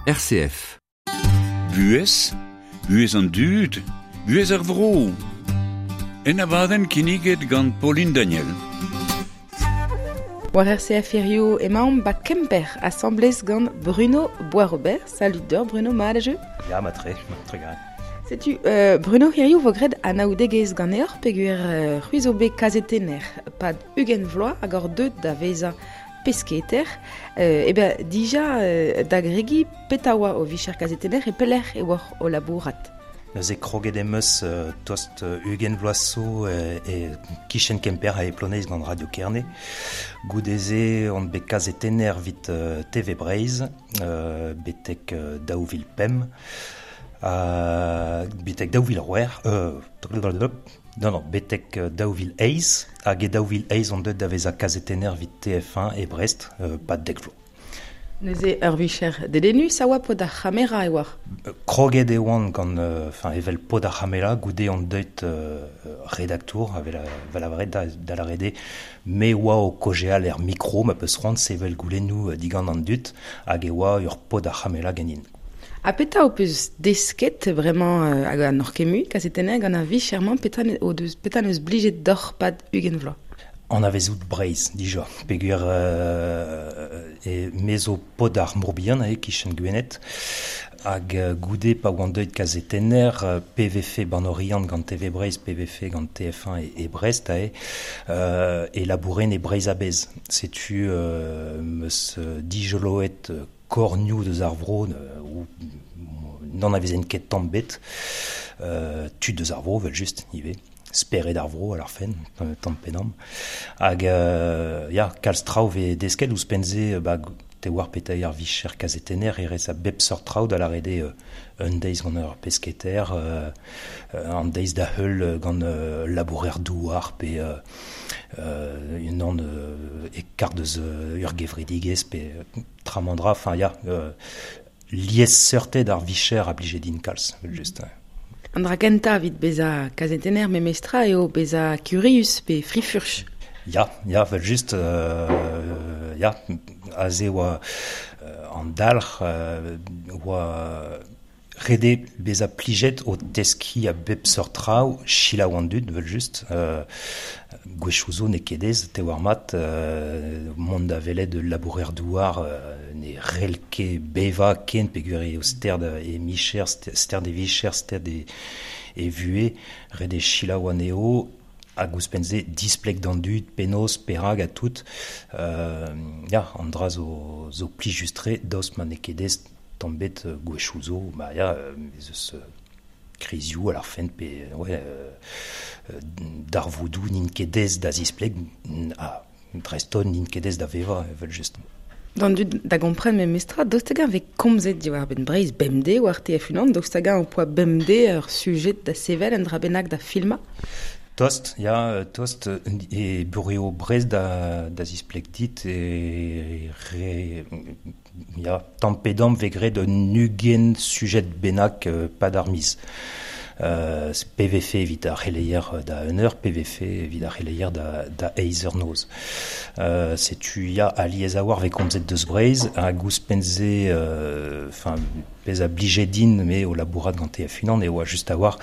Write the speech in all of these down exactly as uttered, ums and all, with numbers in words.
R C F. Buhez, buhez an dud, buhez ar vro. En abadenn kinniget gant Pauline Daniel. War R C F hirio emaomp ba Kemper, asamblez gant Bruno Boisrobert. Salut d'eur, Bruno, mat a jeu? Ya, ma tre, ma tre gant. Setu, euh, Bruno hirio vo graet anaoudegezh ganeoc'h peogwir euh, c'hwi zo bet kazetenner pad ugent vloaz hag hor deut da vezañ pesketer. Euh, e ben, dija euh, da gregi petra oa o vicher kazetenner e pelec'h e oa o labourat. Neuze kroget em eus euh, tost ugent vloaz zo euh, e kichen Kemper a e Ploneiz gant Radio Kerne. Goudeze on bet kazetenner vit euh, T V Breizh, euh, betek euh, daou vil pemp. Uh, betek daou vil c'hwec'h, euh, non, non, betek daou vil eizh, hag e daou vil eizh on deut da vezañ kazetenner vit T F un e Brest, euh, pad dek vloaz. Neuze ur vicher dedennus a oa pod ar c'hamera e oa? Kroget e oan gant, enfin, evel pod ar c'hamera, goude on deut euh, redaktour, avel, vel a da, da la rede, me oa o kojeal er mikro, ma peus c'hoant sevel goulennoù digant an dud, hag e oa ur pod ar c'hamera ganin. Ha petra ho peus desket vraiment euh, hag an hor kemu, kazetenner gant ar vichermañ, petra ne, o deus, petra neus blijet d'hor pad ugent vloaz? An avezout Breizh, dija. Peogwir euh, e mezo pod ar Morbihan e kichen Gwened, hag goude pa oan deuet kazetenner, P V F ban Oriant gant T V Breizh, P V F gant T F un e, e Brest, ae, euh, e labouren e Breizh a-bezh. Setu euh, meus dijoloet kornioù deus ar vro, euh, ou n'en avezen ket tamm bet, euh, tud deus ar vro, vel just, ivez. Spered ar vro, ar fen, tamm penam. Hag, euh, ya, kalz traoù ve desket ouzhpenn-se, ba, te war petai ar vicher kazetenner, e rez a bep seurt traoù da la rede, euh, un deiz gant ur pesketer, euh, an deiz da heul gant, euh, labourer douar, pe, euh, euh, un an, euh, e kar deus, euh, ur gevredigezh, pe tramandra, enfin, ya, euh, lies seurted ar vicher a blije din kalz, vel just. An dra kentañ evit bezañ kazetenner memestra eo bezañ kurius pe frifurch. Ya, ya, vel just, euh, ya, aze oa, euh, an dalc'h, euh, oa rede bezañ plijet o teski a bep seurt traoù, selaou an dud, vel just, euh, gwechoù zo n'eo ket aes, te war mat, euh, mont da welet labourer douar, euh, ne rel ket bevañ ken peogwir eo sterd e micher, sterd e vicher, sterd e, e vuhez, rede selaou anezho, hag ouzhpenn-se displeg d'an dud, penaos, perak ha tout. Euh, ya, an dra zo, zo plijus-tre, daoust ma n'eo ket aes tamm bet gwechoù zo, ba ya, ez eus krizioù ar fent pe, ouais, euh, darvoudoù n'int ket aes da zispleg, ha dreist-holl n'int ket aes da vevañ, evel just. D'an dud da gompren memestra, daoust hag-eñ vez komzet diwar benn Breizh bemdez war T F unan, daoust hag-eñ ho poa bemdez ur sujet da sevel un dra bennak da filmañ? Tost, ya, tost, e bureo Brest da, da zispleg dit, e re, ya, tamm pe damm vez graet un ugent sujet bennak, euh, pad ar miz. Euh, P V F evit ar c'heleier da un eur, P V F evit ar c'heleier da, da eizh eur noz. Euh, setu ya alies a war vez komzet deus Breizh, hag ouzhpenn-se, euh, enfin, pezh a blije din, me o labourat gant T F unan, e oa just a war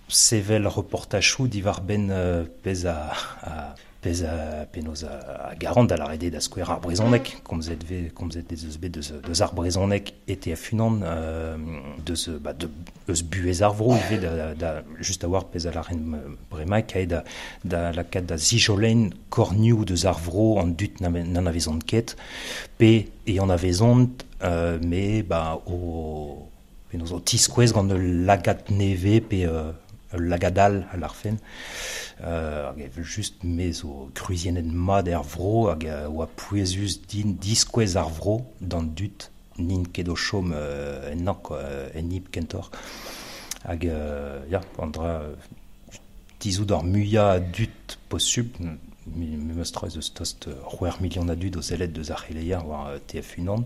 sevel reportachoù diwar benn, euh, pezh a, a, pezh a, penaos a, a garant da la rede da skouer ar brezhoneg, komzet ve, komzet ez eus bet deus, deus ar brezhoneg e T F unan, euh, deus, ba, de, eus buhez ar vro ivez da, da, just a war pezh a laren bremañ, kae da, da lakaat da zijolen kornioù deus ar vro an dud na, n'an avezont ket, pe e an avezont, euh, me, ba, o, penaos o tiskouez gant ul lagad nevez pe, euh, ul lagad all a l'arfen. Euh, hag evel just me zo kruziennet mat er vro hag, euh, oa pouezus din diskouez ar vro d'an dud n'int ket o chom, euh, ennañ, quoi, en ib kentoc'h. Hag, euh, ya, an dra, tizout ar muiañ a dud posubl, me, me meus tra ez eus tost c'hwec'h million a dud o sellet deus ar c'heleier war, euh, T F unan.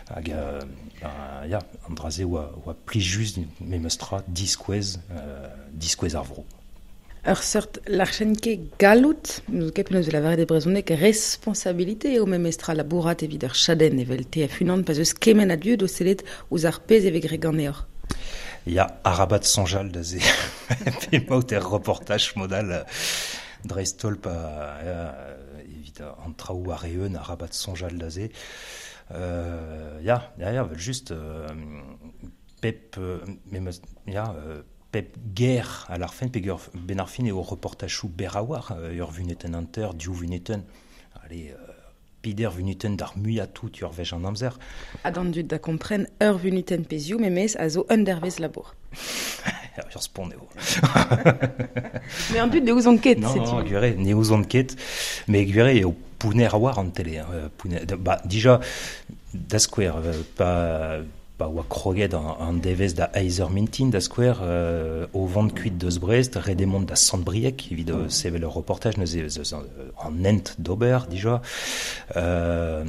Hag, euh, ba, ya, an dra-se oa, oa plijus me meus tra diskouez, euh, diskouez ar vro. Ur seurt larchenke gallout, nous ket penaos lavaret e brezhoneg responsabilité eo memestra labourat evit ur chadenn evel T F unan pa zeus kement a dud o sellet ouzh ar pezh e vez graet ganeoc'h. Ya, arabat soñjal da se pemaout er reportaj modal dreist-holl pa evit an traoù ar eeun arabat soñjal da se. Euh, ya, ya, ya, vel just euh, pep, euh, memes, ya, euh, pep ger a l'arfen, pe ger ben ar fin eo reportachou berrawar, euh, ur vuneten anter, div vuneten, allez, euh, pider vuneten d'ar muia tout ur vej an amzer. Ha d'an dud da kompren ur vuneten pezioù memes a zo un dervez labour. Ur spont eo. Mais an dud ne ouzon ket, Non, setu. non, gwere, ne ouzon ket, mais gwere eo pouner a war an télé. Hein, pouner, ba, dija, da skouer, pa, pa oa kroget an, an devez da Eizer Mintin, da skouer, euh, o vont kuit deus Brest, redemont da Sant-Brieg, evit mm. sevel ur reportaj, neuze eus an hent d'ober, dija. Euh,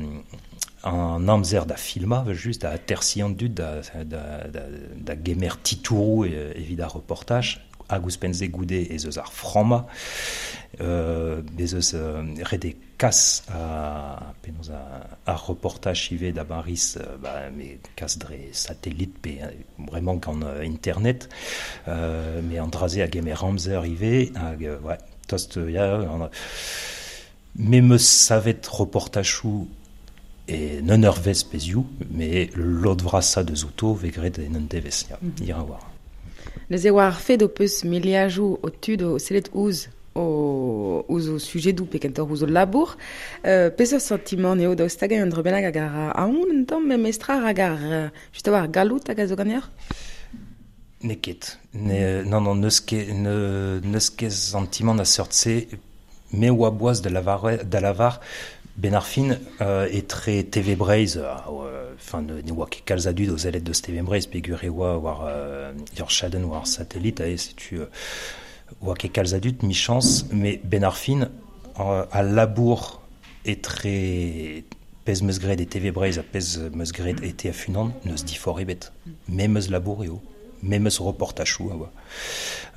an amzer da filma, just da atersi an dud, da, da, da, da gemer titourou evit ar reportaj, hag ouzhpenn-se goude ez eus ar framma, euh, ez eus euh, ret eo kas a, penaos a, ar reportaj ivez da Baris, euh, ba, me kas dre satellit pe vraiment gant euh, internet, euh, mais an dra-se a gemer amzer ivez, hag, euh, ouais, tost, ya, an, me meus savet reportachou e non ur vez pezioù, mais lod vrasa deus outo vez graet en un devez, ya, mm -hmm. ira war. Neuze war ar fed o peus miliajoù o tud o sellet ouzh o ouzh o sujedoù pe kentoc'h ouzh o labour. Euh, peseurt sentiment eo daoust hag un dra bennak hag ar aon un tamm memestra hag ar just a-walc'h gallout hag a zo ganeoc'h? N'eo ket. Ne, non, non, n'eus ket, ne, n'eus ket sentiment a seurt-se, me oa boaz da lavar, da lavar ben ar fin euh, etre T V Breizh, enfin euh, ne, ne oa ket kalz a dud o sellet deus T V Breizh peogwir e oa war euh, ur chadenn war ar satellit, ae, setu euh, oa ket kalz a dud, michañs, mais ben ar fin euh, a labour etre pezh meus graet e T V Breizh ha pezh meus graet e T F unan, n'eus difor ebet. Memes labour eo, memes reportachou a oa.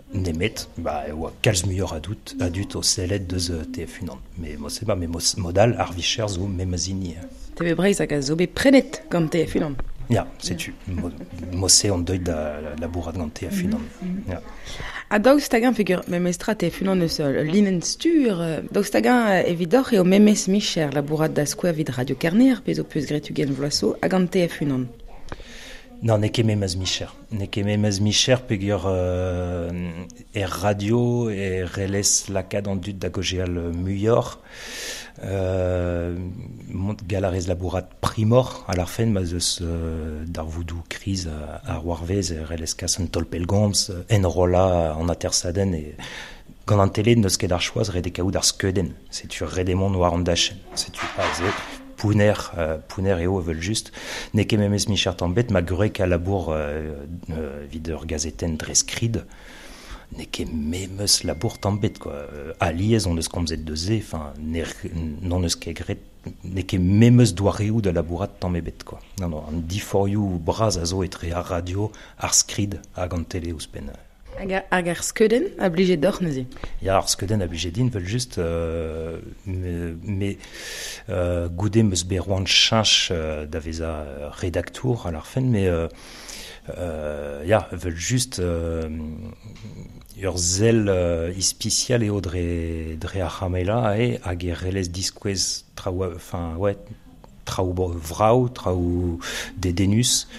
Nemet, ba, e oa kalz muioc'h a dud, a dud o sellet deus T F unan. Mais mo se ba, mais mo, modal ar vicher zo memes hini. T V Breizh hag a zo bet prenet gant T F unan. Ya, setu. Mo, mo se on deuet da labourat gant T F unan. Mm-hmm. Ya. Ha daoust hag-eñ peogwir memestra T F unan eus linenn stur, daoust hag-eñ evidoc'h eo memes micher labourat da skouer evit Radio Kerne, pezh ho peus graet ugent vloaz zo, hag an T F unan? Non, n'eo ket memes micher. N'eo ket memes micher peogwir euh, er radio e relez lakaat an dud da gaozeal muioc'h. Euh, mont galarez labourat primor a l'arfen ma zeus euh, darvoudoù kriz ar warvez e relez kas an tolpelgomz, enrolla an atersadenn e gant an tele n'eus ket ar choaz ret eo kaout ar skeudenn. Setu ret eo mont war an dachenn. Setu pa ze pouner, euh, pouner eo evel just. N'eo ket memes micher tamm bet, ma gwreg a labour euh, euh, evit ur gazetenn dre skrid, n'eo ket memes labour tamm bet, quoi. Euh, alies on eus komzet deus se, enfin, ne, n'on eus ket graet, n'eo ket memes doareoù da labourat tamm ebet, quoi. Non, non, an diforioù bras a zo etre ar radio, ar skrid hag an tele ouzhpenn. Hag ar, hag ar skeudenn a blije deoc'h neuze? Ya, ar skeudenn a blije din, vel just, euh, me, me euh, goude meus bet roan cheñch euh, da vezañ redaktour a l'arfen, mais euh, euh, ya, vel just euh, ur sell euh, ispisial eo dre, dre ar c'hamela ae, hag e relez diskouez traoù, enfin, ouais, traoù vrav, traoù dedennus,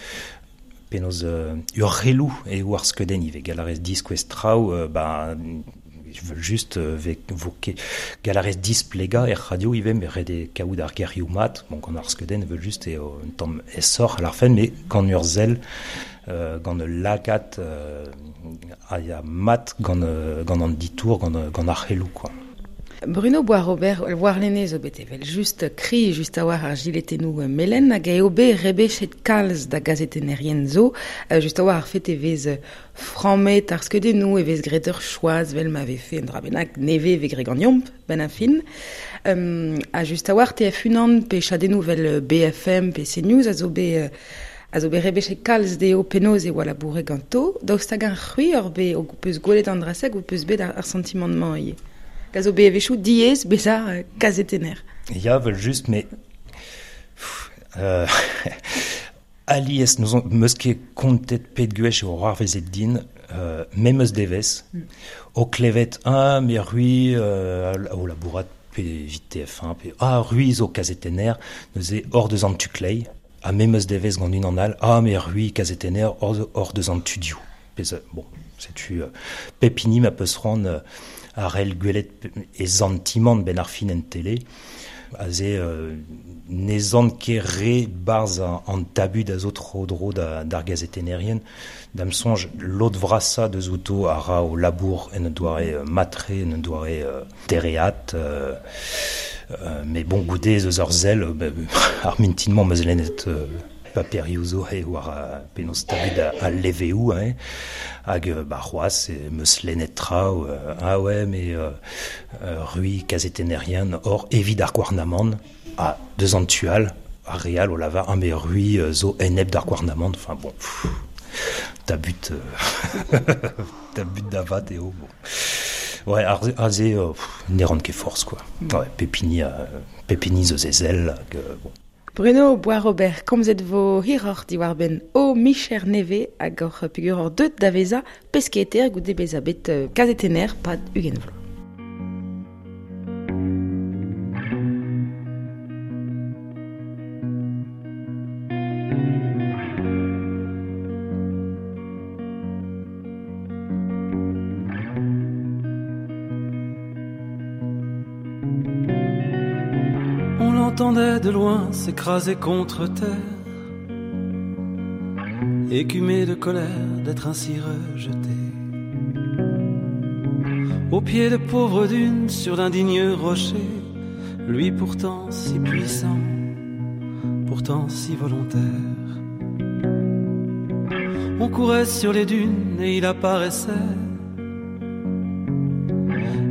penaos euh, ur relou eo ar skeudenn ivez, galarez diskouez traoù, euh, ba, vel just euh, ve, vo ket galarez displega er radio ivez, mais ret eo kaout ar gerioù mat, bon, gant ar skeudenn vel just eo un tamm esoc'h a l'arfen, mais gant ur sell, euh, gant ul lagad euh, a ya mat gant, euh, gant an ditour, gant, gant ar c'heloù, quoi. Bruno Boisrobert, warlene zo bet evel just kri just a war ar giletennoù melen hag eo bet rebechet kalz da gazetennerien zo, just a war ar fet e vez frammet ar skeudennoù e vez graet ur choaz vel ma vefe un dra bennak neve vez graet ganeomp ben a fin. Um, ha just a war T F unan pe chadennoù vel B F M pe CNews a zo bet A zo bet rebechet kalz dezho penaos e oa labouret ganto, daoust hag ar c'hwi ur bet o peus gwelet an dra-se hag ho peus bet ar, ar santimant-mañ ivez. A zo bet a-wechoù diaes bezañ kazetenner. Ya, vel just, mais... Euh, alies nous on meus ket kontet pet gwech eo c'hoarvezet din, euh, memes devezh, mm. o klevet ah, me c'hwi euh, o labourat pe evit T F un, pe ah, c'hwi zo kazetenner, neuze hor deus an tu klei, ha memes devezh gant unan all, ah, me c'hwi kazetenner hor, hor deus an tu diou. Pe, bon, setu euh, pep hini ma peus c'hoant euh, ar el gwelet e zantimant ben ar fin en télé, aze euh, ne zant ket re barz an, an tabu da zo tro dro da, d'ar gazetennerien, da'm soñj lod vrasa deus outo a ra o labour en un doare matre, en un doare euh, dereat, euh, euh, mais bon goude eus ur sell, euh, ar mintinmañ meus lennet euh, paperioù zo he war a penaos tabu da a leveoù, hein, hag ba c'hoazh e meus lennet traoù, euh, ah ouais, mais euh, euh, rui kazetennerien hor evit ar gouarnamant, a deus an tual, ar real o lavar, ah mais rui zo enep d'ar gouarnamant, enfin bon, pff, tabut, euh, tabut davat eo, bon. Ouais, ar, ar ze, euh, ne ran ket force, quoi. Ouais, pepini, euh, pepini zo zezel, hag, euh, bon. Bruno Boisrobert, komzet vo hiroc'h diwar benn o micher neve hag hor peogwir hor deut da vezañ pesketer goude bezañ bet kazetenner pad ugent vloaz. Entendait de loin s'écraser contre terre, écumé de colère d'être ainsi rejeté. Au pied de pauvres dunes, sur d'indignes rochers, lui pourtant si puissant, pourtant si volontaire. On courait sur les dunes et il apparaissait,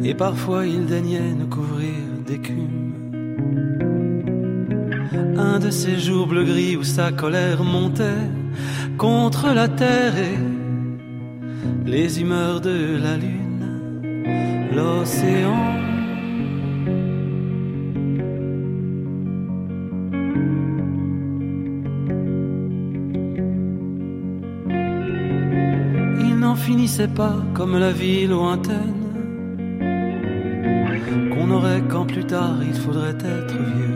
et parfois il daignait nous couvrir d'écume. Un de ces jours bleu-gris où sa colère montait contre la terre et les humeurs de la lune, l'océan. Il n'en finissait pas comme la vie lointaine qu'on aurait quand plus tard il faudrait être vieux.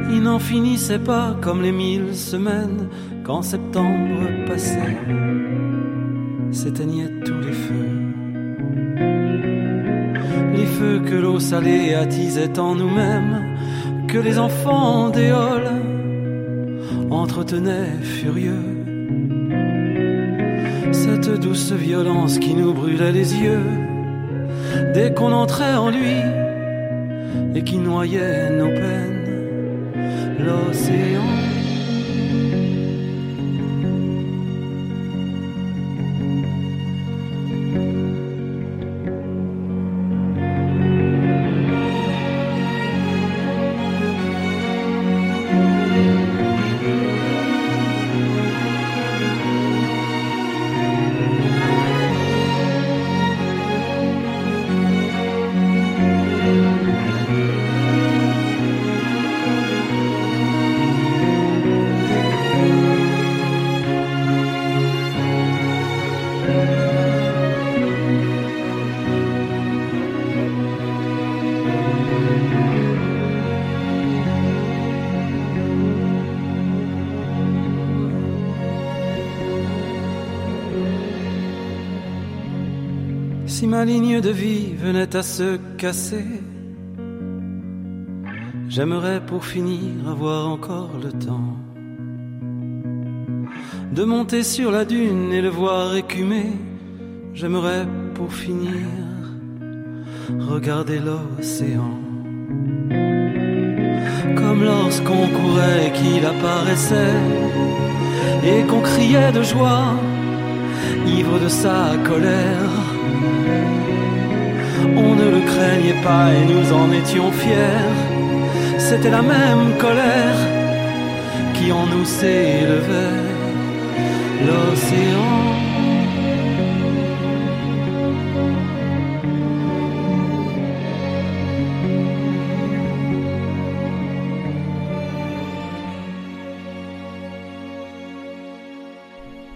Il n'en finissait pas comme les mille semaines quand septembre passait, s'éteignaient tous les feux. Les feux que l'eau salée attisait en nous-mêmes, que les enfants d'éole entretenaient furieux. Cette douce violence qui nous brûlait les yeux dès qu'on entrait en lui et qui noyait nos peines. L'océan. Si ma ligne de vie venait à se casser, j'aimerais pour finir avoir encore le temps de monter sur la dune et le voir écumer. J'aimerais pour finir regarder l'océan, comme lorsqu'on courait et qu'il apparaissait et qu'on criait de joie, ivre de sa colère. On ne le craignait pas et nous en étions fiers. C'était la même colère qui s'élevait l'océan.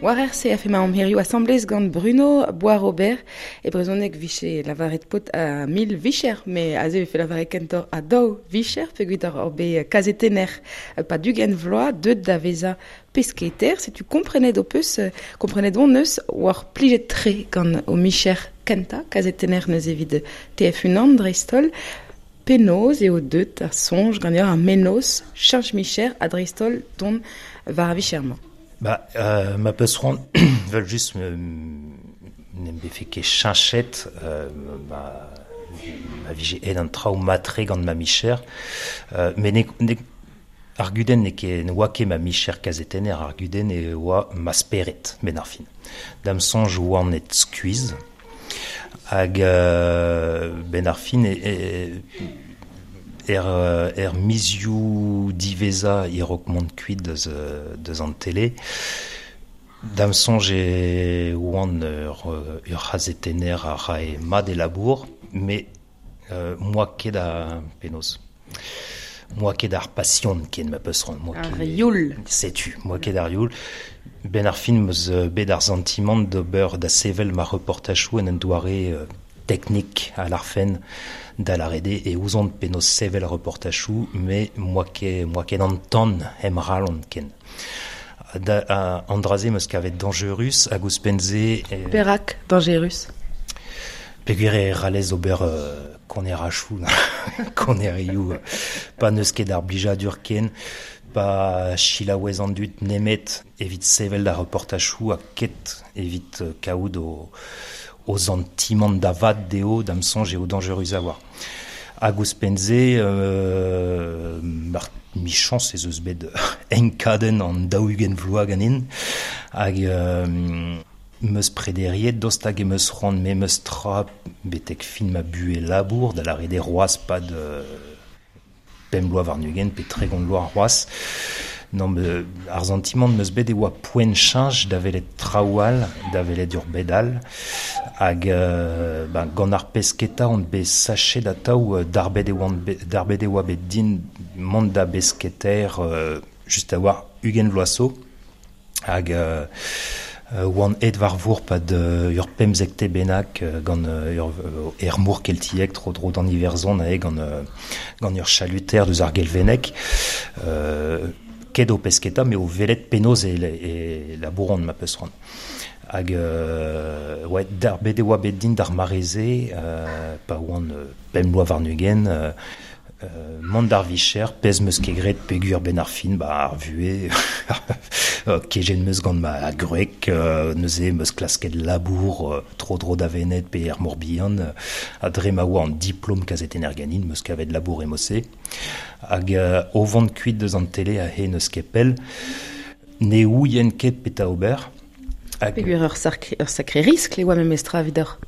War R C F emañ hiziv asamblez gant Bruno Boisrobert e brezhoneg viche lavaret pot a mil vicher, me aze vefe lavaret kentoc'h a daou vicher peogwir ur bet kazetenner pa dugent vloaz deut da vezañ pesketer. Setu komprenet ho peus, komprenet on eus war plijet tre gant o micher kentañ kazetenner neus evit T F unan dreist-holl. Penaos eo deut ar soñj ganeoc'h ar mennozh cheñch micher ha dreist-holl dont war ar vicher-mañ. Ba, euh, ma peus c'hoant vel just n'em befe ket cheñchet euh, ma, ma vije aet an traoù matre gant ma micher euh, met ne, ne, ar gudenn n'eo ket ne oa ket ma micher kazetenner, ar gudenn e oa ma spered ben ar fin. Da'm soñj oan et skuizh hag euh, ben ar fin e, e Er, er mizioù diwezhañ e-raok mont kuit deus, deus an tele. Da'm soñj e oan ur, ur c'hazetenner a rae mat e labour, met euh, moa ket a penaos. Moa ket ar pasion ken ma peus c'hoant. Moa Ar youl. Setu, moa ket ar youl. Ben ar fin meus bet ar santimant d'ober da sevel ma reportajoù en un doare euh, teknik a l'arfen da l'arede e ouzon penaos sevel reportajoù, me moa ket, moa ket an tan em ralon ken. Da, a, an dra-se meus kavet dangerus hag ouzhpenn-se... E... Perak dangerus? Peogwir e ralez ober euh, konerachoù, konerioù, pa n'eus ket ar blijadur ken, pa chilaouez an dud nemet evit sevel da reportajoù ha ket evit kaout o... o santimant da vat dezho da'm soñj eo dangerus a war. Hag ouzhpenn-se, euh, mar michañs ez eus bet enkadenn an daou-ugent vloaz ganin, hag euh, meus prederiet dost hag em eus c'hoant me meus tra betek fin ma buhez labour da lâret eo c'hoazh pad euh, pemp bloaz warn-ugent pe tregont bloaz c'hoazh. Non, me, ar santimant meus bet e oa poent cheñch da welet traoù all, da welet ur bed all, hag euh, ben, gant ar pesketa on bet sachet atav darbet e oan bet, darbet e oa bet din mont da besketer euh, just a war ugent vloaz zo, hag euh, oan aet war vor pad euh, ur pemzekte bennak gant ur er mor keltiek tro-dro d'an Iwerzhon ae gant, gant ur chaluter deus ar Gelveneg. Euh, ket o pesketa, me o velet penaos e, e labouron ma peus c'hoant. Hag euh, ouais, dar bet e oa bet din d'ar mare-se, euh, pa oan pemp bloaz warn-ugent, euh, euh, mont d'ar vicher, pezh meus ket graet peogwir ben ar fin, ba ar vuhez, kejet meus gant ma gwreg, euh, neuze meus klasket labour, euh, tro-dro da Vened pe er Morbihan, euh, ha dre ma oa an diplom kazetenner ganin, meus kavet labour e mose. Hag euh, o vont kuit deus an tele a he neus ket pell, ne ouien ket petra ober. Hag... Peogwir ur sacré, ur sacré riskl e oa memestra evidoc'h.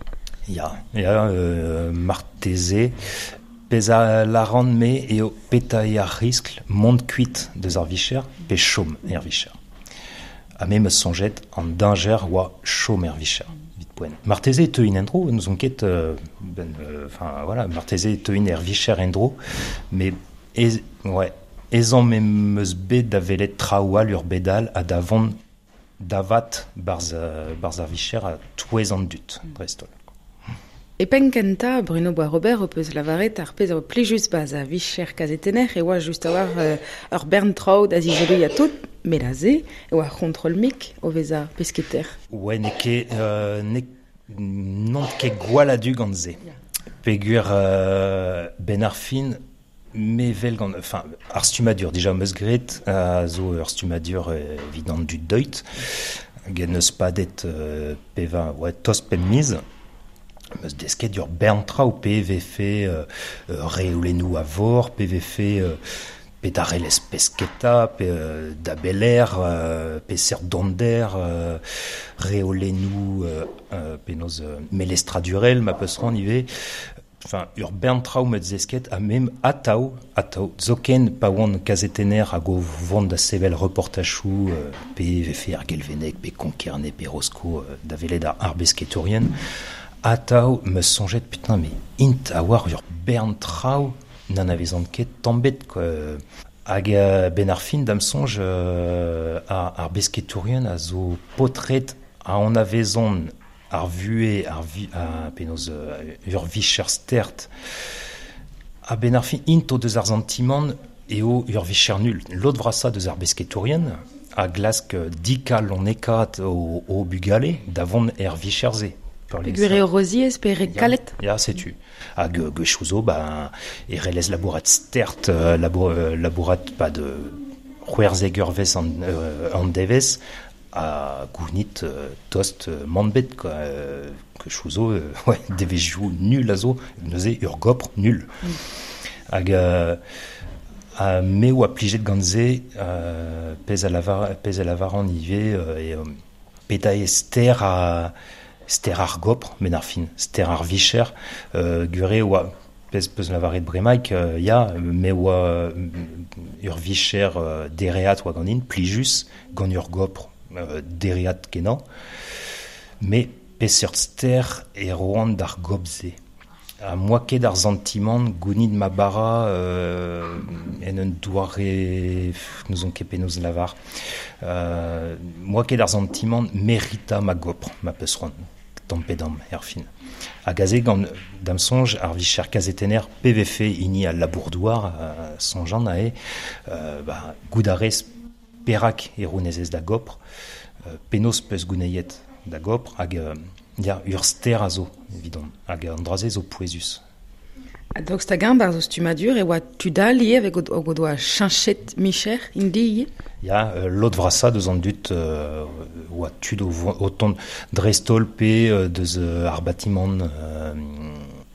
Ya, ya, euh, marteze, pezh a lâran me eo petra eo ar riskl mont kuit deus ar vicher pe chom er vicher. Ha me meus soñjet an dañjer oa chom er vicher. Vit poent. Marteze e teuin en-dro, n'ouzon ket, euh, ben, enfin euh, voilà, marteze e teuin er vicher en-dro, mais ez, ouais, ezhomm em eus bet da welet traoù all ur bed all ha da vont davat barzh, barzh ar vicher ha touez an dud, dreist-holl. E penn kentañ, Bruno Boisrobert ho peus lavaret ar pezh a oa plijus ba'z a vicher kazetenner e oa just a-walc'h euh, ur bern traoù da zizoloiñ ha tout, met aze e oa c'hontrol mik o vezañ pesketer. Ouais, n'eo ket, euh, n'eo, n'on ket gwall a-du gant se. Peogwir euh, ben ar fin, me vel gant, enfin, ar stummadur, dija meus graet, a zo ur stummadur evit an dud deuet, hag en eus padet euh, peva, ouais, tost pemp miz. Meus desket ur bern traoù, pe vefe euh, reolennoù a vor, pe vefe euh, pe darelez pesketa, pe euh, da beler, euh, pe seurt donder, euh, reolennoù euh, euh, penaos euh, melestradurel, ma peus c'hoant ivez. Enfin, ur bern traoù meus zesket ha mem atav, atav, zoken pa oan kazetenner hag o vont da sevel reportachoù euh, pe vefe ar Gelveneg, pe Konkerne, pe Rosko, euh, da velet ar, ar besketourien, atav me soñjet, putain, mais int a oar ur bern traoù n'an avezant ket tamm-bet, quoi. Hag euh, ben ar fin da'm soñj euh, ar, ar besketourien a zo potret a an avezont ar vuhez, ar vi, a, penaos euh, ur vicher stert. A ben ar fin int o deus ar santimant eo ur vicher nul. Lod vrasa deus ar besketourien a glask dikal on ekat o, o bugale da vont er vicher-se. Peogwir eo roziez pe re kalet. Ya, setu. Hag gwechou zo, ba, e relez labourat stert, labour, labourat pa de c'hwerzek eurvezh an, euh, an devezh, a gounit euh, tost euh, manbet, quoi. Euh, gwechou zo, euh, ouais, devezhioù nul a zo, neuze ur gopr nul. Mm. Hag euh, a me oa plijet gant se, euh, pezh a lavar, pezh a lavaran ivez, euh, e euh, peta e ster a ster ar gopr, men ar fin, ster ar vicher, euh, gure oa, pezh peus lavaret bremaik, euh, ya, me oa ur vicher euh, dereat oa ganin, plijus, gant ur gopr euh, dereat kenañ, me peseurt ster e roan d'ar gopr-se. A moa ket ar santimant gounid ma bara euh, en un doare n'ouzon ket penaos lavar. Euh, moa ket ar santimant merita ma gopr, ma peus c'hoant, tamm pe damm, er fin. Hag aze gant da'm soñj ar vicher kazetenner P V F hini al labour-douar, euh, soñjan ae, euh, ba, goût a rez perak e rounezez da gopr, euh, penaos peus gouneiet da gopr, hag euh, ya, ur ster a zo, evidon, hag an dra-se zo pouezus. Ha daoust hag-eñ barzh o stummadur e oa tud all ivez hag o doa cheñchet micher int-i ivez? Ya, euh, lod vrasa deus an dud euh, oa tud o, o tont dreist-holl pe euh, deus euh, ar batimant euh,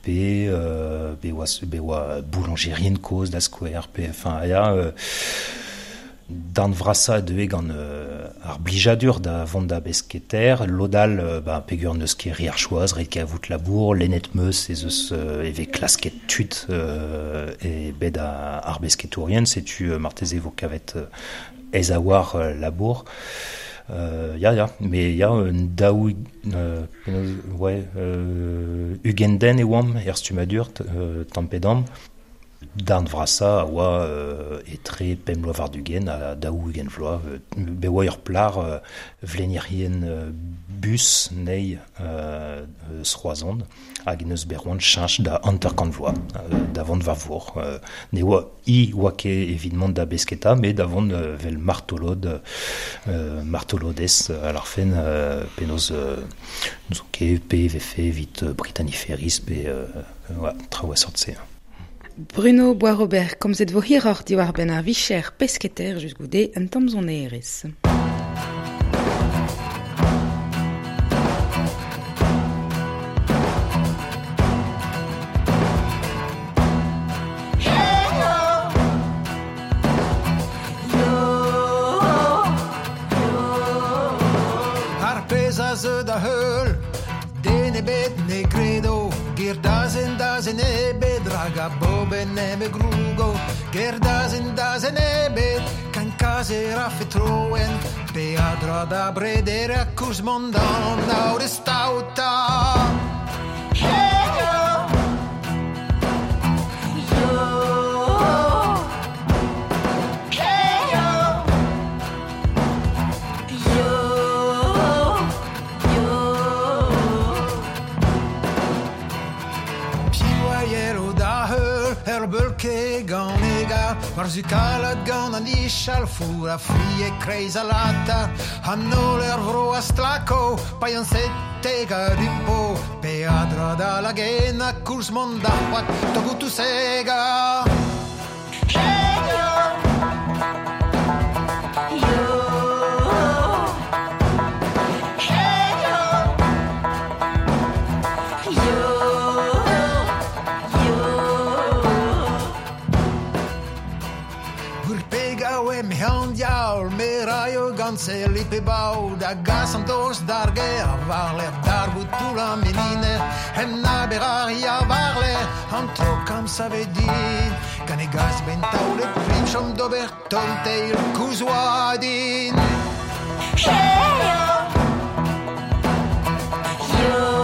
pe, euh, pe oa, pe oa boulangerien kozh da skouer, pe, enfin, ya, euh, Dan vrasa deue gant euh, ar blijadur da vont da besketer, lodal euh, ba, pegur neus ket ri ar choaz, ret ket avout labour, lennet meus ez eus euh, eve klasket tud euh, e bet a, ar besketourien, setu euh, marteze vo kavet euh, ez a war euh, labour. Euh, ya, ya, mais ya, un daou, euh, penaos, ouais, euh, ugent den e oamp er stummadur, euh, tamm pe damm. Darn vrasa a oa euh, etre pemp vloaz war-ugent ha daou ugent vloaz. Euh, be oa ur plar euh, vlenierien euh, bus nei euh, eus Roazhon hag neus bet c'hoant cheñch da hanter-kant vloaz, euh, da vont war vor. Euh, ne oa i oa ket evit mont da besketa, met da vont euh, vel martolod, euh, martolodez à ar fen euh, penaos euh, n'ouzon ket pe vefe evit euh, Brittany Ferries pe euh, ouais, traoù a sort-se. Bruno Boisrobert, komzet vo hiroc'h diwar benn ar vicher pesketer just goude un tamm sonerezh. Ar pezh a zeu da heul, den ebet ne gredo, ger dazen dazen ebet, rag a boben eme grougo, ger dazen dazen ebet, kan kazer a fetroen, pe a dra da breder a kourz mont d'an aour e staota. Ket gant e gar, war zu kalat gant an ichal, four a fri e kreiz a lata, an holl er vro a stlako, paean sete ga dupo, pe a dra da lagen a kourz mont d'ar c'hoad, togoutou sega. Heyo em an diaoul, me raio gant se lipe bau, da gas an doz d'ar ger, war ler d'ar bout an meniner, hem na berar ya war ler, an tro kam save din, gant e gaz ben taolet plim chom d'ober tom teil kouzoadin. Heyo! Yo!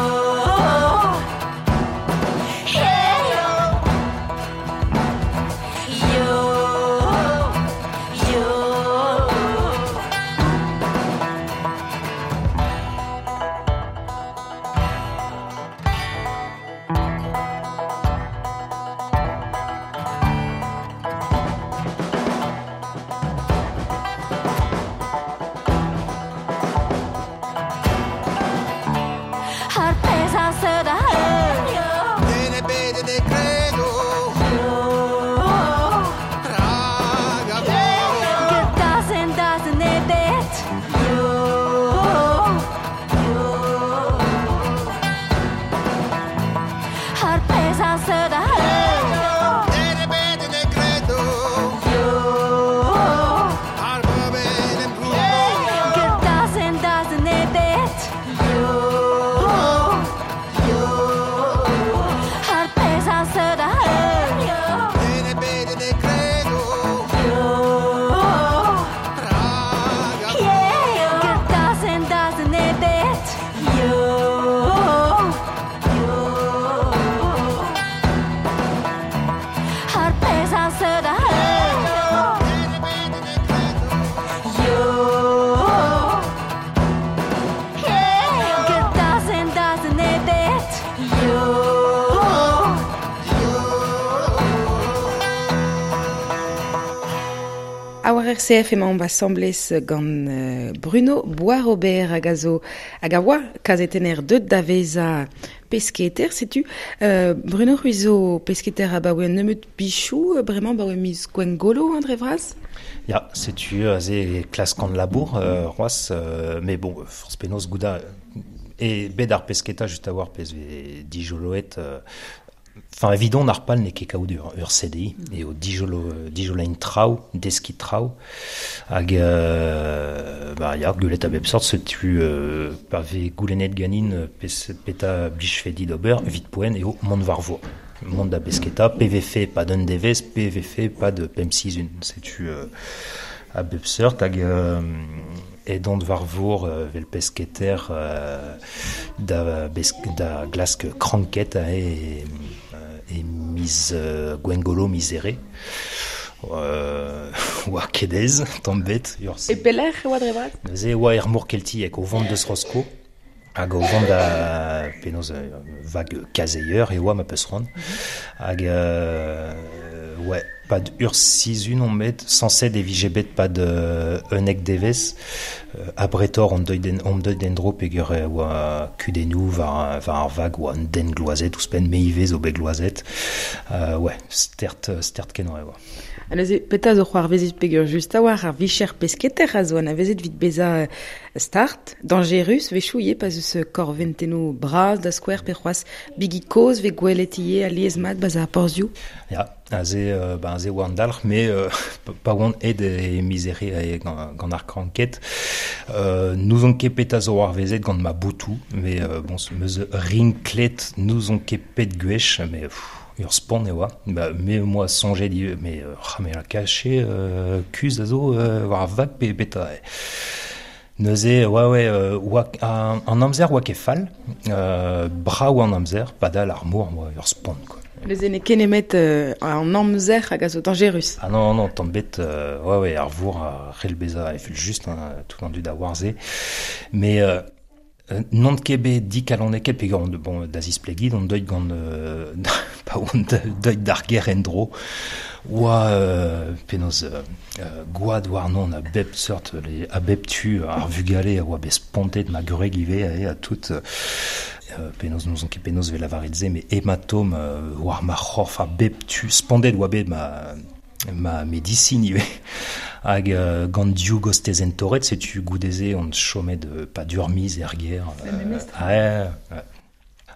R C F emañ asambles gant Bruno Boisrobert hag a zo hag a oa kazetenner deut da vezañ pesketer, setu. Euh, Bruno c'hwi zo pesketer abaoe un nebeut bichou, bremañ baoe miz Gwengolo, André Vraz? Ya, setu aze klask an labour, euh, c'hoazh, euh, mais bon, forz penaos gouda e bet ar pesketa just a war pez vez dijoloet euh, Enfin, evidon ar pal n'eo ket kaout ur, ur C D I, eo dijolo, dijolain traoù, deski traoù, hag euh, bah, ya, gwelet a bep sort, setu euh, pa vez goulennet ganin pes, peta blichfedi d'ober, vit poen eo mont war vor. Mont da besketa, P V F pas d'un devez, P V F pas de P M six un, setu euh, a bep sort, hag euh, edont war vor euh, vel pesketer euh, da, besk, da glask kranket e, e miz euh, Gwengolo mizere. Euh, oa kedez, tamm bet. E pelec'h e oa dre vras? Neuze oa er mor keltiek, o vont deus Rosko, hag o vont da penaos vag kazeier e oa ma peus c'hoant. Hag euh, ouais, pas de ur sizun on met, sañset e vije bet pas de unnek devez, euh, a bretor on deuit den, on deuit den dro peogwir e oa kudennoù war, war ar vag oa un den gloazet ouzhpenn me ivez zo bet gloazet. Euh, ouais, stert, stert kenañ e oa. Ha neuze, petra zo c'hoarvezet peogwir just a war ar vicher pesketer a zo anavezet evit bezañ start, dangerus, wechoù ivez pa zeus korventennoù bras da skouer pe c'hoazh bigi kozh vez gwelet ivez alies mat ba'z ar porzhioù. Ya, aze, euh, ba, aze oa an dalc'h, mais euh, pa oan aet e mizere e gant, gant ar kranket. Euh, n'ouzon ket petra zo c'hoarvezet gant ma boutoù, mais euh, bon, meus rinklet n'ouzon ket pet gwech, mais pff, ur spont e oa. Ba, me moa soñjet ivez, mais euh, me la kache euh, kuz a zo euh, war ar vag pe beta. Neuze, ouais, ouais, euh, oa, an, an amzer oa ket fall, euh, brav an amzer, padal ar mor, oa ur spont, quoi. Neuze n'eo ket nemet euh, an amzer hag a zo dangerus. Ah non, non, tamm bet, euh, ouais, ouais, ar vor a c'hell bezañ efel just, hein, tout an dud a war-se. Mais euh, non ket bet dikaloneket peogwir on, bon, da zisplegit, on deuit gant, euh, pa on deuit d'ar ger en-dro, oa euh, penaos euh, gwad warnon a bep seurt, les, a bep tu ar vugale a oa bet spontet ma gwreg ivez a, a tout, euh, penaos n'ouzon ket penaos vel lavaret se, mais hématome euh, war ma c'horf a bep tu, spontet oa bet ma, ma médecine ivez. Hag euh, gant div gostezenn torret, setu goudeze on chomet de pas durmiz er ger. Euh, ouais, ouais.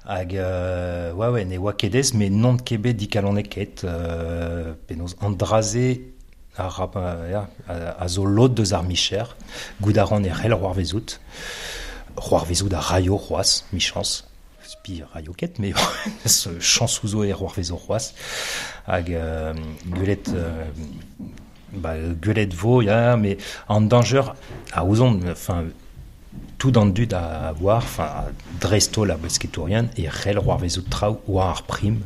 Hag euh, ouais, ouais, ne oa ket aes, mais non ket bet dikaloneket, euh, penaos an dra-se a rap, ya, a, a zo lod deus ar micher, gout a ran e c'hell c'hoar vezout, c'hoar vezout a raio c'hoaz, michans, spi raio ket, mais chans ouzo e c'hoar vezo c'hoaz, hag euh, gwelet, euh, ba, gwelet vo, ya, mais an danger a ouzon, enfin, tout an dud a voir, enfin, dresto la besketourien, e c'hell c'hoar vezout traoù war ar prim,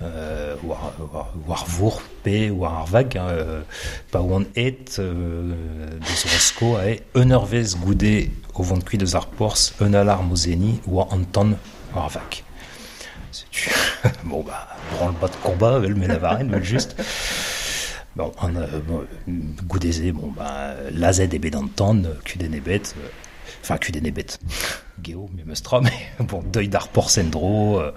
euh, war, war, war vour pe war ar vag, hein, euh, pa oan et euh, deus Rosko ae un eurvez goude o vont kuit deus ar porz, un alarme o zeni, oa an tan war ar vag. Setu, bon bah, branle-bas de combat, vel me lavaren, vel just. Bon, an, euh, bon, goudeze, bon, bah, lazet ebet an tan, kudenn ebet, euh, enfin, kudenn ebet, geo, me meus tra, mais bon, deuil d'ar porz en-dro, euh,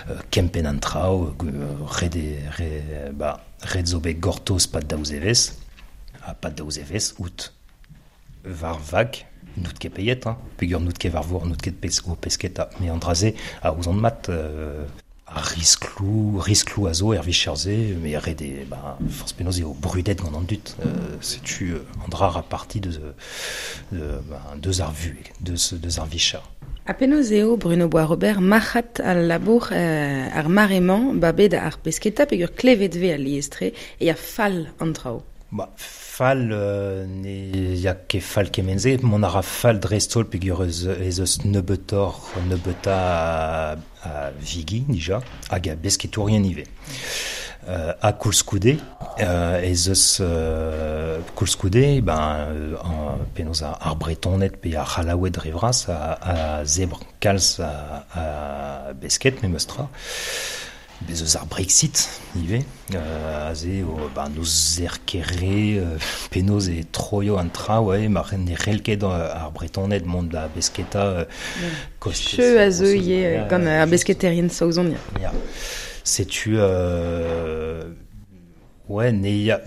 euh, kempenn an traoù, euh, red e, re, ba, red zo bet gortoz pad daouz evez, ha pad daouz evez, out var vag, n'out ket peiet, hein, peogwir n'out ket war vor, n'out ket pes, o pesketa, me an dra-se a ouzon mat, euh, a risklou, risklou a zo er vicher-se, me red e, ba, forz penaos eo brudet gant an dud, euh, setu euh, an dra ra parti deus, de, ba, deus ar vu, deus, deus ar vicher. Ha penaos eo Bruno Boisrobert marc'had al labour euh, ar mare-mañ ba bet ar pesketa peogwir klevet ve al liestre e a fall an traoù. Ba, fall, euh, ne ya ket fall kement-se, mont a ra fall dreist-holl peogwir eus, ez eus nebeutoc'h, nebeuta a, a vigi, dija, hag a besketourien ivez. Euh, ha koulskoude, euh, ez eus euh, koulskoude, ben, euh, an, penaos ar, ar Bretoned pe ar C'hallaoued dre vras a, a zebr kalz a, a besket, memes tra. Bez eus ar Brexit ivez, euh, aze o, ba, n'eus er ket re, euh, penaos e troio an tra, ouais, mar ne c'hell ket ar Bretoned mont da besketa, euh, kostez Cheu a zo Rosso, ivez, ya, gant ar just. besketerien saozon, ya. Ya. Setu, euh, ouais, ne ya,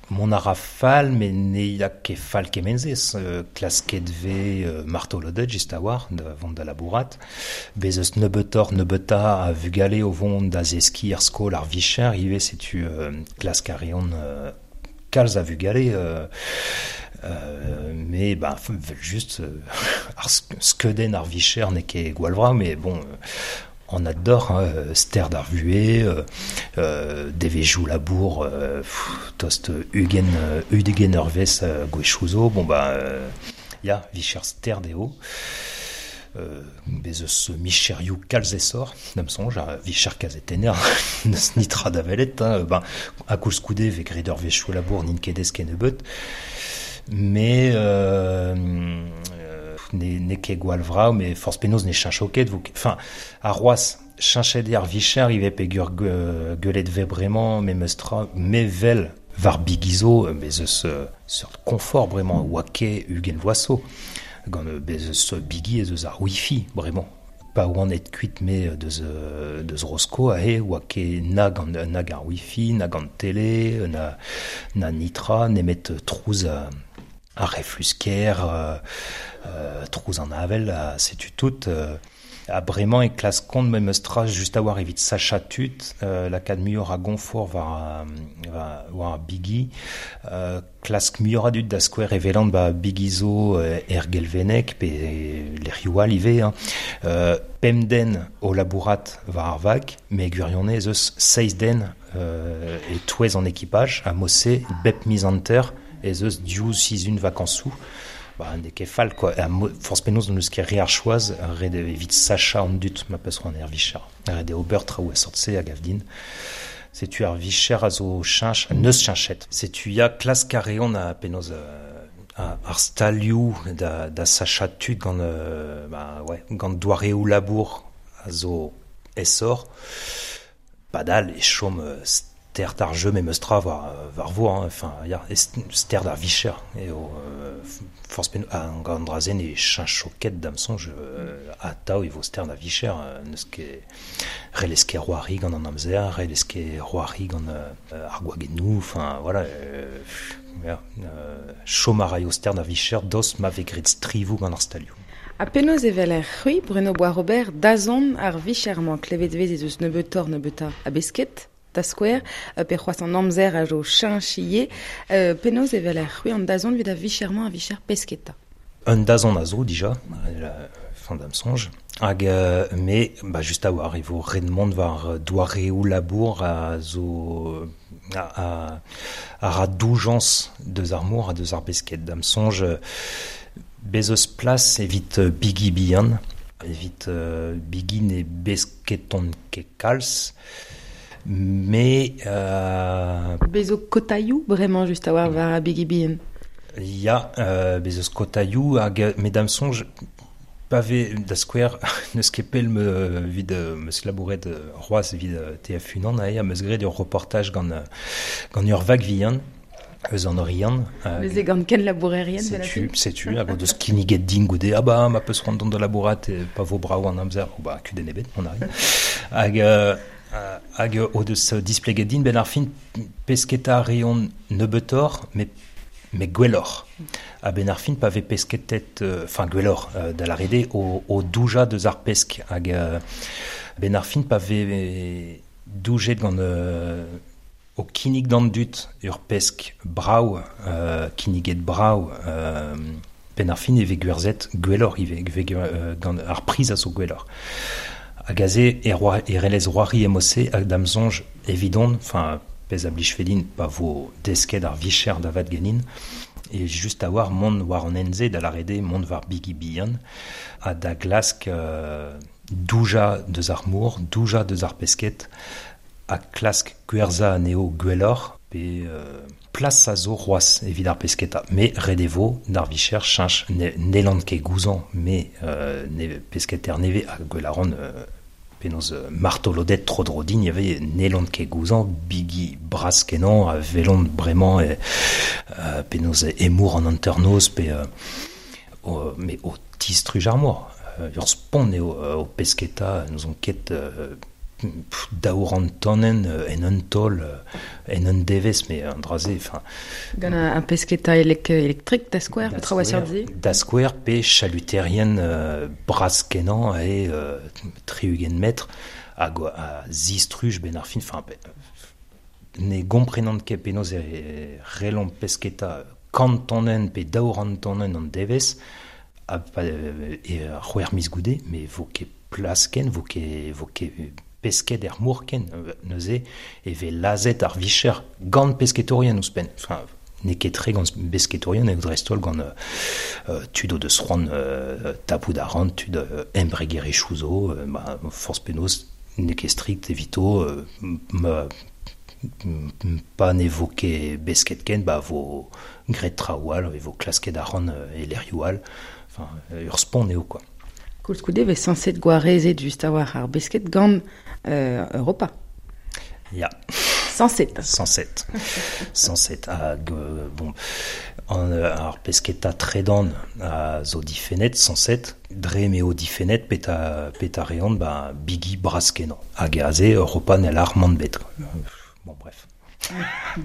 mont a ra fall, mais ne ya ket fall kement-se, euh, klasket ve euh, martoloded just a-war, da vont da labourat, bez eus nebeutoc'h nebeuta a vugale o vont da zeskiñ er skol ar vicher, ivez setu euh, klask a reont euh, kalz a vugale, euh, euh, mais bah, vel just, euh, ar sk-, skeudenn ar vicher n'eo ket gwall vra, mais bon, euh, on adore, hein, ster d'ar vuhez, euh, euh, devezhioù labour, euh, pff, tost ugent, euh, ugent eurvezh, euh, gwechouzo, bon bah, euh, ya, vicher ster dezho. Euh, bez eus micherioù kalz esor, da'm soñj, a vicher kazetenner, n'eus nitra da welet, hein, ben, a koulskoude vez graet ur wechou labour n'int ket aes kennebeut, mais, euh, euh, ne, n'eo ket gwall vrav, mais forzh penaos ne cheñcho ket, vo ket, enfin, ar c'hoazh, cheñchet eo ar vicher ivez peogwir ge-, gwelet vez bremañ, memes tra, me vel war bigizo, bez eus, euh, seurt confort bremañ, oa ket ugent vloaz zo. Gant, euh, bez eus bigi ez eus ar wifi bremañ. Pa oan et kuit me deus, euh, deus Rosko, ahe, oa ket na gant, na gant wifi, na gant télé, na, na nitra, nemet trouz a, a reflusker, euh, euh, trouz an avel, a setu tout. Euh, a bremañ e klask kont memes tra just a war evit sacha tud, euh, lakaat muioc'h a gonfort war, war, war ar bigi, euh, klask muioc'h a dud da skouer evelant ba bigi zo, euh, er Gelveneg pe lec'hioù all ivez, hein. Euh, pemp den o labourat war ar vag, mais gwirionez ez eus seizh den, euh, e touez an ekipaj, a mose bep miz hanter ez eus div sizhun vakañsoù. Ba, n'eo ket fall, quoi. Ha mo-, forzh penaos n'eus ket re ar choaz, ret eo evit sacha an dud ma peus c'hoant er vicher. Ret eo ober traoù a sort-se a gav din. Setu ar vicher a zo cheñch, neus cheñchet. Setu ya klask a reont a penaos, euh, a, ar stalioù da, da sacha tud gant, euh, ba, ouais, gant doareoù labour a zo esor. Padal e chom, euh, ster d'ar jeu memes tra war, war vo, hein. Enfin, ya, e ster d'ar vicher. E o, euh, forzh pen-, an gant drazen e cheñcho ket da'm soñj, euh, atav e vo ster d'ar vicher, euh, n'eus ket relez ket roari gant an amzer, relez ket roari gant, euh, ar gwagennoù, enfin, voilà, euh, ya, euh, chom a raio ster d'ar vicher dos ma vez graet strivoù gant ar stalioù. Ha penaos evel er c'hwi, Bruno Boisrobert, dazont ar vicher-mañ klevet vez ez eus nebeutoc'h nebeuta a besket? da skouer, euh, pe c'hoazh an amzer a zo cheñch euh, penaos evel ar c'hwi an dazont evit a vichermañ a vicher pesketa. Un dazont a zo dija, la fin d'am soñj, hag euh, me, ba just a war, e vo ret mont war doareoù labour a zo a, a, a ra doujañs deus ar mor ha deus ar besked. D'am soñj, bez eus plas evit bigi bihan, evit euh, bigi ne besketon ket kalz, me... Euh, bez zo kotaioù bremañ just a war war a bigi bihan. Ya, euh, bez eus kotaioù hag me d'am soñj pa ve da skouer neus ket pell me vid meus labouret c'hoazh evit T F unan ae, meus graet ur reportaj gant gant ur vag vihan eus an Oriant. Neuze gant ken labourerien. Setu, setu, hag o deus kinniget din goude, ah ba, ma peus c'hoant dont da labourat, e pa vo brav an amzer, oh ba, kudenn ebet, on arrive. Hag, euh, hag o deus displeget din ben ar fin pesketa reont nebeutoc'h, met mais gwelloc'h. A ben ar fin pa ve pesketet, enfin euh, gwelloc'h, euh, da l'arede o, o douja deus ar pesk. Hag euh, ben ar fin pa ve doujet gant euh, o kinnig d'an dud ur pesk brav, euh, kinniget brav, euh, ben ar fin e ve gwerzet gwelloc'h ivez, ve euh, gant ar priz a zo gwelloc'h. Hag aze e, roi, e relez roari emose hag d'am soñj evidon, enfin pezh a blij fedin pa vo desket ar vicher da vat ganin, e just a war mont war an enze da l'arede mont war bigi bihan, ha da glask euh, douja deus ar mor, douja deus ar pesket, ha klask gwerza anezho gwelloc'h, pe euh, plas a zo c'hoazh evit ar pesketa. Me ret e vo d'ar vicher cheñch ne, n'hellan ket gouzañ, me euh, ne, pesketer nevez ha gwell a ran euh, penaos martolodet tro dro din, y avait n'hellan ket gouzañ, bigi bras kenañ, a velont bremañ e, euh, penaos emour an hanternoz, pe euh, o, me o tistruj ar mor. Euh, ur spont eo euh, o pesketa, nous on ket euh, daour an tonnen en un tol, en un devez, mais an draze, enfin... Gant un pesketa elek, elektrik da skouer, petra oa seurt se? Da skouer, pe chaluterien euh, bras kenañ e euh, tri-ugent metr, hag a zistruj ben ar fin, enfin, ne gomprenant ket penaos e relont pesketa kant tonnen pe daour an tonnen an devez, a, pa, e c'hwec'h miz goude, mais vo ket plas ken, vo ket, vo ket pesket er mor ken, neuze, e ve lazet ar vicher gant pesketorien ouzhpenn. Enfin, n'eo ket tre gant pesketorien, eo dreist-holl gant euh, tud o deus c'hoant euh, tapout ar ran, tud euh, embregerezhioù zo, euh, ba, forzh penaos n'eo ket strikt evito, euh, ma, pa ne vo ket besket ken, ba vo graet traoù all, e vo klasket ar ran e lec'hioù all, enfin, ur spont eo, quoi. Koulskoude vez sañset gwarezet just a war ar besket gant euh, Europa. Ya. Sañset. Sañset. Sañset. Hag, euh, bon, an, ar pesketa tredan a zo difennet, sañset, dre m'eo difennet peta, peta reont, ba, bigi bras kenañ. Hag aze Europa n'hell ar mont bet. Bon, bref.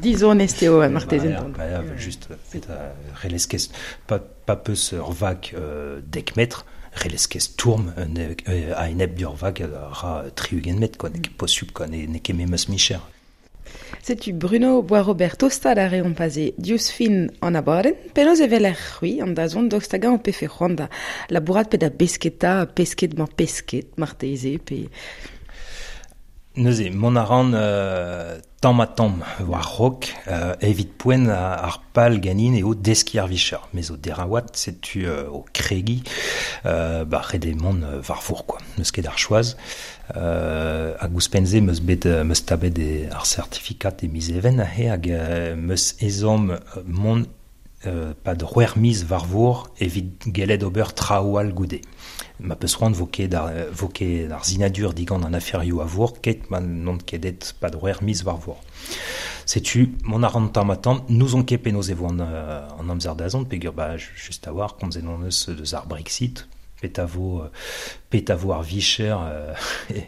Dizonest eo marteze. Ba, ba, ba, just, peta relez ket, pa, pa peus ur vag euh, dek metr, relez ket tourm a enep d'ur vag ra tri-ugent metr, quoi, n'eo ket posubl, quoi, n'eo ket memes micher. Setu Bruno Boisrobert tosta da reont paze diouzh fin an abadenn, penaos evel ar c'hwi an dazont daoust hag an pefe c'hoant da labourat pe da besketa, pesket mañ pesket, marteze, pe... Neuze, mont a ran euh, tamm ha tamm war raok, euh, evit poent ar pal ganin eo deskiñ ar vicher. Me zo deraouat, setu euh, o kregiñ, euh, ba ret eo mont war vor, quoi. N'eus ket ar choaz. Euh, hag ouzhpenn-se meus bet meus tabet e ar certificat e miz even aze, hag euh, meus ezhomm mont euh, pad c'hwec'h miz war vor evit gellet ober traoù all goude. Ma peus c'hoant vo ket ar, vo ket ar sinadur digant an aferioù a vor, ket ma n'on ket et pad c'hwec'h miz war vor. Setu, mont a ran tamm ha tamm, n'ouzon ket penaos e vo an, an amzer dazont, peogwir ba just a war, komzet hon eus deus ar Brexit, pet a vo, pet a vo ar vicher euh, e,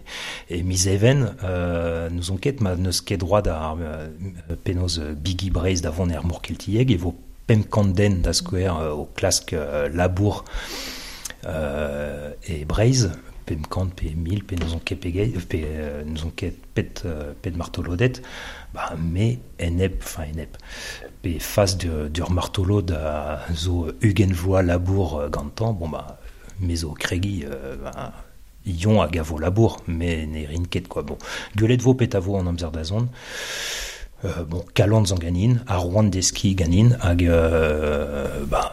e miz even, euh, n'ouzon ket, ma n'eus ket droit ar euh, penaos bigi Breizh da vont er mor keltiek, e vo pemp kant den da skouer euh, o klask euh, labour euh, e Breizh, pemp kant pe mil pe n'eus on ket pegei pe euh, n'eus on ket pet euh, pet martolodet ba me enep enfin enep pe fas de dur martolod a zo ugent vloaz labour gantañ bon ba me zo kregi euh, ba ion hag a vo labour me ne rin ket quoi bon gwelet vo pet a vo an amzer da zont. Euh, bon, kalant zan ganin, ar roan deski ganin, hag euh, ba,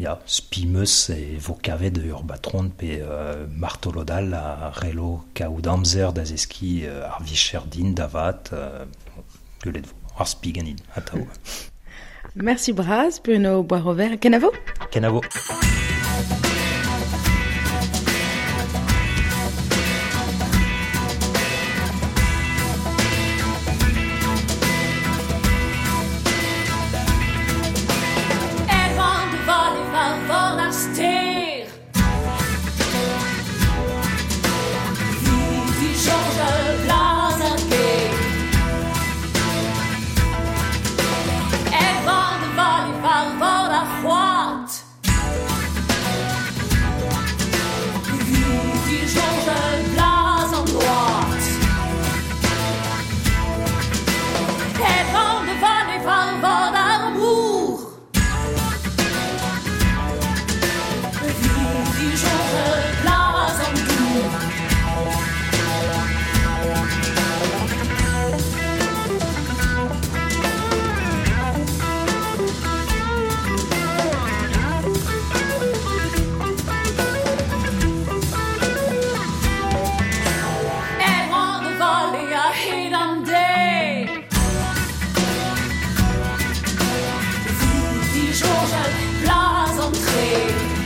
ya, spimeus e vo kavet ur batron pe euh, martolodal a relo kaout amzer da zeski euh, ar vicher din davat, euh, gwelet vo, ar spi ganin, atao. Merci braz, Bruno Boisrobert. Kenavo? Kenavo. Georges, blas entrée.